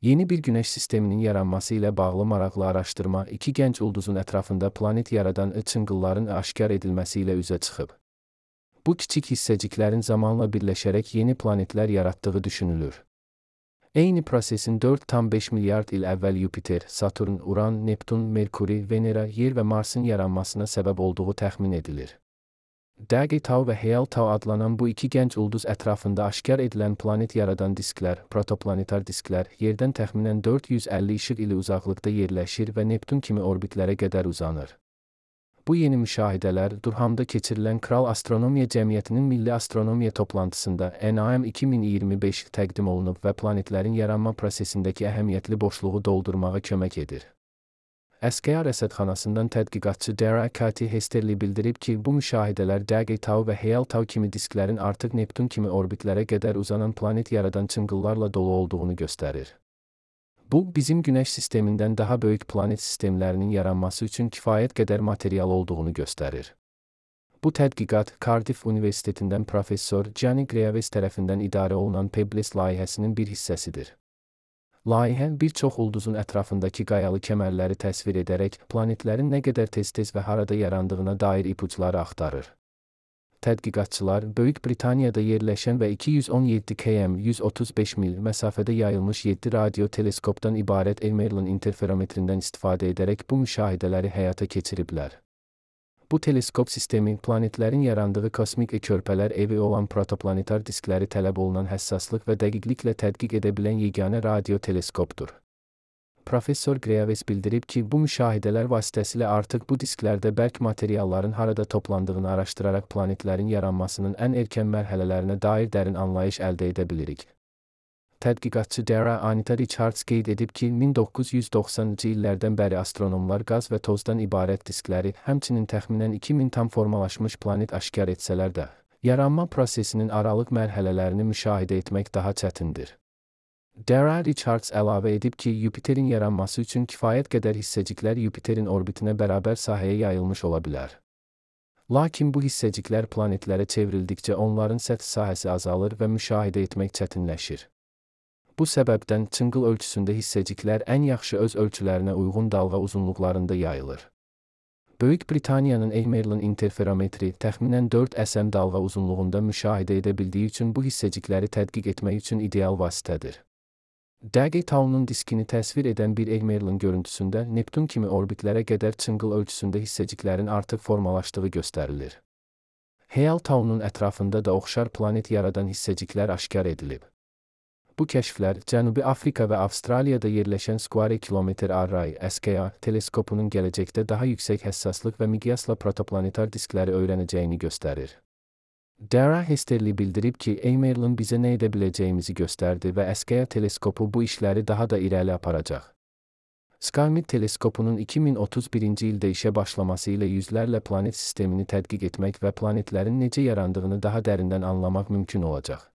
Yeni bir güneş sisteminin yaranması ilə bağlı maraqlı araşdırma iki gənc ulduzun ətrafında planet yaradan çınqılların aşkar edilməsi ilə üzə çıxıb. Bu kiçik hissəciklərin zamanla birləşərək yeni planetlər yaratdığı düşünülür. Eyni prosesin 4,5 milyard il əvvəl Yupiter, Saturn, Uran, Neptun, Merkuri, Venera, Yer və Marsın yaranmasına səbəb olduğu təxmin edilir. Dagi Tau və Heal Tau adlanan bu iki gənc ulduz ətrafında aşkar edilən planet yaradan disklər, protoplanetar disklər, Yerdən təxminən 450 işıq ili uzaqlıqda yerləşir və Neptun kimi orbitlərə qədər uzanır. Bu yeni müşahidələr Durhamda keçirilən Kral Astronomiya Cəmiyyətinin Milli Astronomiya toplantısında NAM 2025 təqdim olunub və planetlərin yaranma prosesindəki əhəmiyyətli boşluğu doldurmağa kömək edir. SKA rəsədxanasından tədqiqatçı Dara Kati Hesterli bildirib ki, bu müşahidələr Dagi Tau və Heal Tau kimi disklərin artıq Neptun kimi orbitlərə qədər uzanan planet yaradan çınqıllarla dolu olduğunu göstərir. Bu, bizim Günəş sistemindən daha böyük planet sistemlərinin yaranması üçün kifayət qədər material olduğunu göstərir. Bu tədqiqat Cardiff Universitetindən professor Gianni Greaves tərəfindən idarə olunan Pebbles layihəsinin bir hissəsidir. Layihə bir çox ulduzun ətrafındakı qayalı kəmərləri təsvir edərək planetlərin nə qədər tez-tez və harada yarandığına dair ipuçları axtarır. Tədqiqatçılar Böyük Britaniyada yerləşən və 217 km 135 mil məsafədə yayılmış 7 radio teleskopdan ibarət Merlin interferometrindən istifadə edərək bu müşahidələri həyata keçiriblər. Bu teleskop sistemi planetlərin yarandığı kosmik körpələr evi olan protoplanetar diskləri tələb olunan həssaslıq və dəqiqliklə tədqiq edə bilən yeganə radio teleskopdur. Professor Greaves bildirib ki, bu müşahidələr vasitəsilə artıq bu disklərdə bərk materialların harada toplandığını araşdıraraq planetlərin yaranmasının ən erkən mərhələlərinə dair dərin anlayış əldə edə bilirik. Tədqiqatçı Dara Anita Richards qeyd edib ki, 1990-cı illərdən bəri astronomlar qaz və tozdan ibarət diskləri, həmçinin təxminən 2000 tam formalaşmış planet aşkar etsələr də, yaranma prosesinin aralıq mərhələlərini müşahidə etmək daha çətindir. Dara Richards əlavə edib ki, Yupiterin yaranması üçün kifayət qədər hissəciklər Yupiterin orbitinə bərabər sahəyə yayılmış ola bilər. Lakin bu hissəciklər planetlərə çevrildikcə onların səth sahəsi azalır və müşahidə etmək çətinləşir. Bu səbəbdən çınqıl ölçüsündə hissəciklər ən yaxşı öz ölçülərinə uyğun dalğa uzunluqlarında yayılır. Böyük Britaniyanın Merlin interferometri təxminən 4 SM dalğa uzunluğunda müşahidə edə bildiyi üçün bu hissəcikləri tədqiq etmək üçün ideal vasitədir. Dagi Tau'nun diskini təsvir edən bir Merlin görüntüsündə Neptun kimi orbitlərə qədər çınqıl ölçüsündə hissəciklərin artıq formalaşdığı göstərilir. Heal Tau'nun ətrafında da oxşar planet yaradan hissəciklər aşkar edilib. Bu kəşflər Cənubi Afrika və Avstraliyada yerləşən Square Kilometre Array (SKA) teleskopunun gələcəkdə daha yüksək həssaslıq və miqyasla protoplanetar diskləri öyrənəcəyini göstərir. Dara Hesterli bildirib ki, Merlin bizə nə edə biləcəyimizi göstərdi və SKA teleskopu bu işləri daha da irəli aparacaq. SkyMed teleskopunun 2031-ci ildə işə başlaması ilə yüzlərlə planet sistemini tədqiq etmək və planetlərin necə yarandığını daha dərindən anlamaq mümkün olacaq.